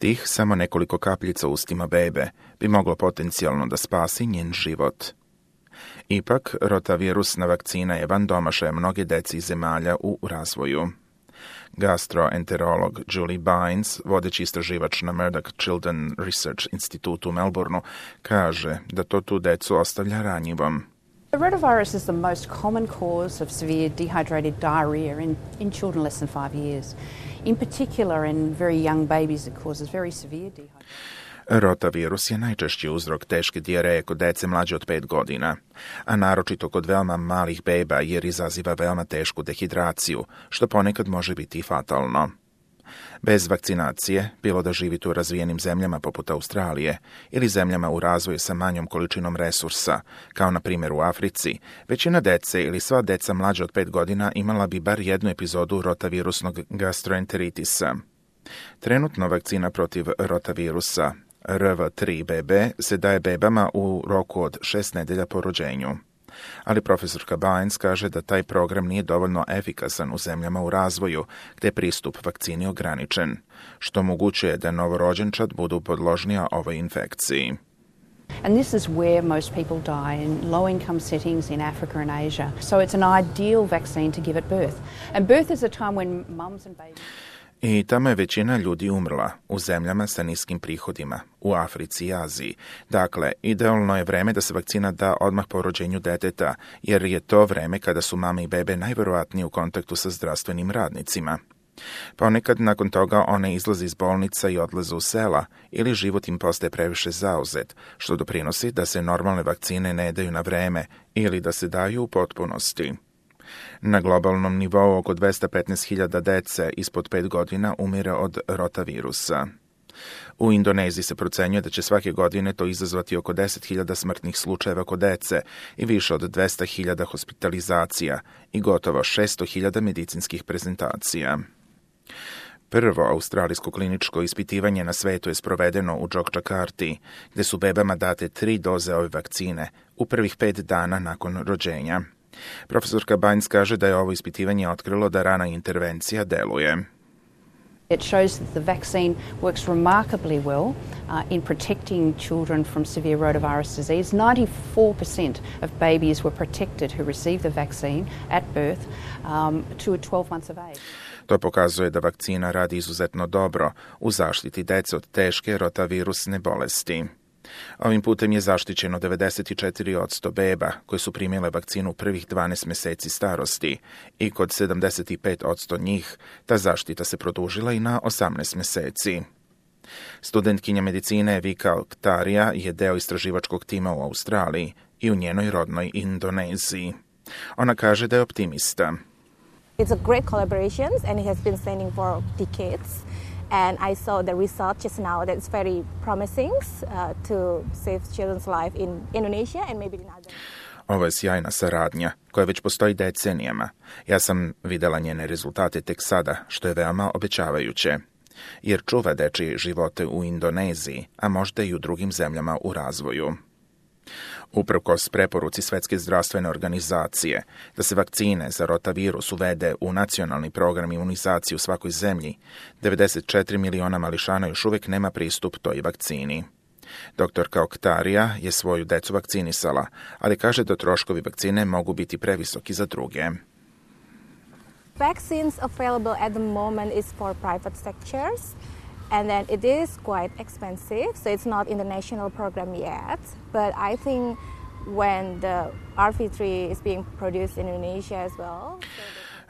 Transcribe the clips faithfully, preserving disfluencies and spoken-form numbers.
Tih samo nekoliko kapljica u ustima bebe bi moglo potencijalno da spasi njen život. Ipak, rotavirusna vakcina je van domašaja mnoge deci iz zemalja u razvoju. Gastroenterolog Julie Bynes, vodeći istraživač na Murdoch Children Research Institute u Melbourneu, kaže da to tu decu ostavlja ranjivom. The rotavirus is the most common cause of severe dehydrated diarrhea in, in children less than five years. In particular, in very young babies, it causes very severe dehydration. Rotavirus je najčešći uzrok teške dijareje kod dece mlađe od pet godina, a naročito kod veoma malih beba jer izaziva veoma tešku dehidraciju, što ponekad može biti i fatalno. Bez vakcinacije, bilo da živite u razvijenim zemljama poput Australije ili zemljama u razvoju sa manjom količinom resursa, kao na primjer u Africi, većina dece ili sva deca mlađe od pet godina imala bi bar jednu epizodu rotavirusnog gastroenteritisa. Trenutno vakcina protiv rotavirusa R V tri B B se daje bebama u roku od šest nedelja po rođenju. Ali profesorka Bynes kaže da taj program nije dovoljno efikasan u zemljama u razvoju, gdje je pristup vakcini ograničen, što omogućuje da novorođenčad budu podložnija ovoj infekciji. And this is where most people die, in low-income settings in Africa and Asia. So it's an ideal vaccine to give at birth. And birth is a time when mums and babies... I tamo je većina ljudi umrla, u zemljama sa niskim prihodima, u Africi i Aziji. Dakle, idealno je vreme da se vakcina da odmah po rođenju deteta, jer je to vreme kada su mame i bebe najverovatnije u kontaktu sa zdravstvenim radnicima. Ponekad nakon toga one izlaze iz bolnica i odlaze u sela, ili život im postaje previše zauzet, što doprinosi da se normalne vakcine ne daju na vreme ili da se daju u potpunosti. Na globalnom nivou oko dvesta petnaest hiljada dece ispod pet godina umire od rotavirusa. U Indoneziji se procenjuje da će svake godine to izazvati oko deset hiljada smrtnih slučajeva kod dece i više od dvesta hiljada hospitalizacija i gotovo šesto hiljada medicinskih prezentacija. Prvo australijsko kliničko ispitivanje na svetu je sprovedeno u Jogjakarti, gdje su bebama date tri doze ove vakcine u prvih pet dana nakon rođenja. Profesorka Bynes kaže da je ovo ispitivanje otkrilo da rana intervencija deluje. It shows that the vaccine works remarkably well uh, in protecting children from severe rotavirus disease. ninety-four percent of babies were protected who received the vaccine at birth um, to twelve months of age. To pokazuje da vakcina radi izuzetno dobro u zaštiti dece od teške rotavirusne bolesti. Ovim putem je zaštićeno devedeset četiri posto beba koje su primile vakcinu u prvih dvanaest mjeseci starosti i kod sedamdeset pet posto njih ta zaštita se produžila i na osamnaest mjeseci. Studentkinja medicine Vika Oktarija je deo istraživačkog tima u Australiji i u njenoj rodnoj Indoneziji. Ona kaže da je optimista. It's a great collaboration and it has been standing for decades. And I saw the result just now that it's very promising uh, to save children's life in Indonesia and maybe in other. Ovo je sjajna saradnja koja već postoji decenijama. Ja sam videla njene rezultate tek sada, što je veoma obećavajuće, jer čuva dečije živote u Indoneziji, a možda i u drugim zemljama u razvoju. Uprkos preporuci Svetske zdravstvene organizacije da se vakcine za rotavirus uvede u nacionalni program imunizacije u svakoj zemlji, devedeset četiri miliona mališana još uvijek nema pristup toj vakcini. Doktorka Oktarija je svoju decu vakcinisala, ali kaže da troškovi vakcine mogu biti previsoki za druge. Vaccines available at the moment is for private sectors. And then it is quite expensive, so it's not in the national program yet. But I think when the R V three is being produced in Indonesia as well.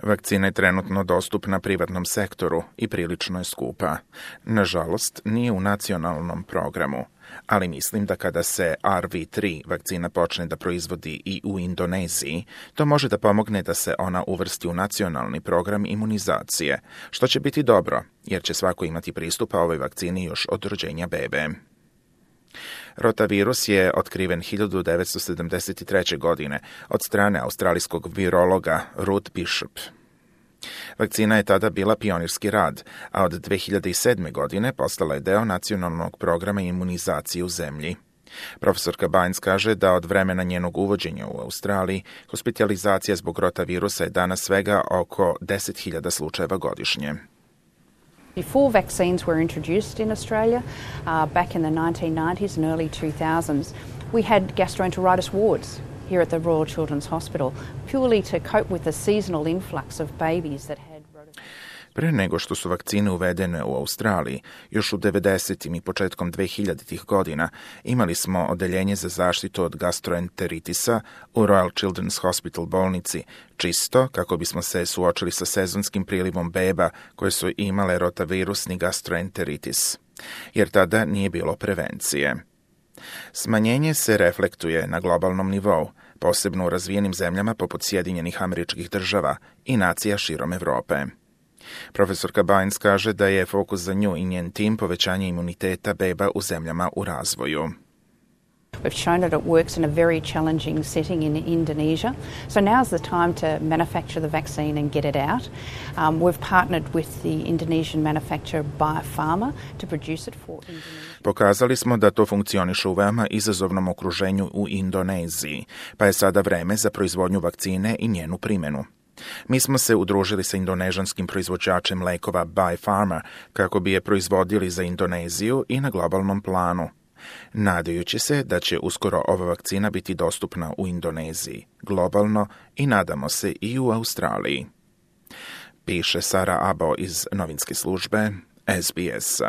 So Vakcina je trenutno dostupna privatnom sektoru i prilično je skupa. Nažalost, nije u nacionalnom programu, ali mislim da kada se R V tri vakcina počne da proizvodi i u Indoneziji, to može da pomogne da se ona uvrsti u nacionalni program imunizacije, što će biti dobro, jer će svako imati pristupa ovoj vakcini još od rođenja bebe. Rotavirus je otkriven hiljadu devetsto sedamdeset treće. godine od strane australijskog virologa Ruth Bishop. Vakcina je tada bila pionirski rad, a od dve hiljade sedme. godine postala je deo nacionalnog programa imunizacije u zemlji. Profesorka Bynes kaže da od vremena njenog uvođenja u Australiji hospitalizacija zbog rotavirusa je danas svega oko deset hiljada slučajeva godišnje. Before vaccines were introduced in Australia, uh, back in the nineteen nineties and early two thousands, we had gastroenteritis wards here at the Royal Children's Hospital, purely to cope with the seasonal influx of babies that had rotavirus. Pre nego što su vakcine uvedene u Australiji, još u devedesetim i početkom dvehiljaditih godina imali smo odeljenje za zaštitu od gastroenteritisa u Royal Children's Hospital bolnici, čisto kako bismo se suočili sa sezonskim prilivom beba koje su imale rotavirusni gastroenteritis, jer tada nije bilo prevencije. Smanjenje se reflektuje na globalnom nivou, posebno u razvijenim zemljama poput Sjedinjenih Američkih Država i nacija širom Evrope. Profesorka Bynes kaže da je fokus za nju i njen tim povećanje imuniteta beba u zemljama u razvoju. We've shown that it works in a very challenging setting in Indonesia. So now's the time to manufacture the vaccine and get it out. Um, we've partnered with the Indonesian manufacturer Biopharma to produce it for Indonesia. Pokazali smo da to funkcioniše u veoma izazovnom okruženju u Indoneziji, pa je sada vreme za proizvodnju vakcine i njenu primjenu. Mi smo se udružili sa indonežanskim proizvođačem lekova Biopharma kako bi je proizvodili za Indoneziju i na globalnom planu, nadajući se da će uskoro ova vakcina biti dostupna u Indoneziji, globalno i nadamo se i u Australiji. Piše Sara Abo iz novinske službe S B S.